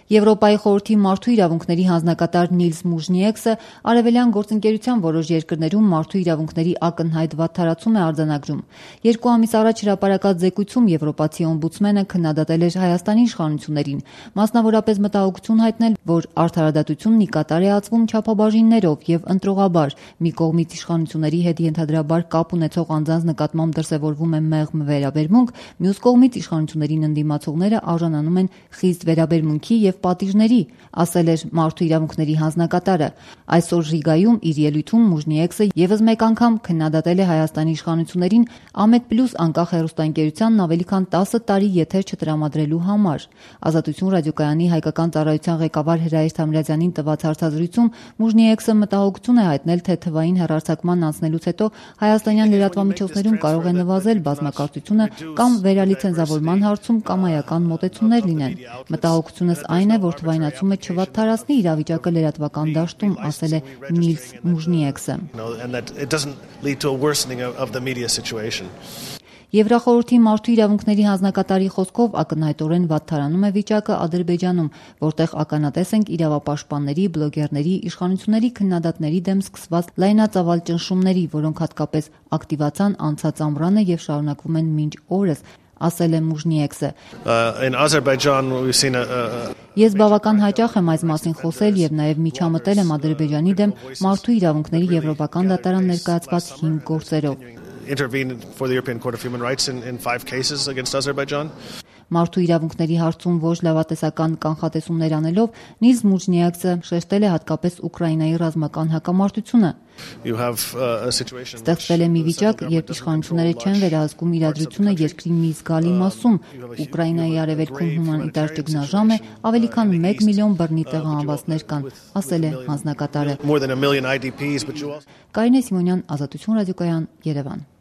Եվրոպայի խորհրդի մարդու իրավունքների հանձնակատար Նիլս Մուժնիեքսը արևելյան գործընկերության որոշ երկրներում մարդու իրավունքների ակնհայտ վատթարացում է արձանագրում։ 2 ամիս առաջ հրապարակած զեկույցում եվրոպացի օմբուդսմենը քննադատել էր Հայաստանի իշխանություններին, մասնավորապես մտահոգություն հայտնել, որ արդարադատությունն ի կատար է ածվում չափաբաժիններով եւ ընտրողաբար։ Մի կողմից իշխանությունների հետ ենթադրաբար կապ ունեցող անձանց նկատմամբ դրսևորվում է մեղմ վերաբերմունք, մյուս կողմից իշխանություններին ընդդիմացողները արժանանում են խիստ վերաբերմունքի եւ պատիժների, ասել էր մարդու իրավունքների հանձնակատարը։ Այսօր Ռիգայում իր ելույթում Մուժնիեքսը եւս մեկ անգամ քննադատել է Հայաստանի իշխանություններին Ամեդ+ անկախ հեռուստաընկերությանն ավելի քան 10 տարի եթեր չտրամադրելու համար։ Ազատություն ռադիոկայանի հայկական ծառայության ղեկավար Հրայր Թամրազյանին տված հարցազրույցում Մուժնիեքսը մտահոգություն է հայտնել, թե թվային հեռարձակման անցնելուց հետո հայաստանյան լրատվամիջոցներում կարող է նվազել բազմակարծությունը կամ վերալիցենզավորման հարցում կամայական մոտեցումներ լինեն։ Մտահոգությունս այն է, որ թվայնացումը չվատթարացնի իրավիճակը լրատվական դաշտում, ասել է Նիլս Մուժնիեքսը։ Եվրախորհրդի մարդու իրավունքների հանձնակատարի խոսքով ակնհայտորեն վատթարանում է վիճակը Ադրբեջանում, որտեղ ականատես ենք իրավապաշտպանների, բլոգերների, իշխանությունների քննադատների դեմ սկսված լայնածավալ ճնշումների, որոնք հատկապես ակտիվացան անցած ամռանը եւ շարունակվում են մինչ օրս, ասել է Մուժնիեքսը։ Ես բավական հաճախ եմ այս մասին խոսել եւ նաեւ միջամտել եմ Ադրբեջանի դեմ մարդու իրավունքների եվրոպական դատարան ներկայացված 5 գործերով։ Մարդու իրավունքների հարցում ոչ լավատեսական կանխատեսումներ անելով Նիլս Մուժնիեքսը շեշտել է հատկապես Ուկրաինայի ռազմական հակամարտությունը։ Ստեղծվել է մի վիճակ, երբ իշխանությունները չեն վերահսկում իրադրությունը երկրի մի զգալի մասում։ Ուկրաինայի արևելքում հումանիտար ճգնաժամ է, ավելի քան 1 միլիոն բռնի տեղահանվածներ կան, ասել է հանձնակատարը։ Կարինե Սիմոնյան, Ազատություն ռադիոկայան, Երևան։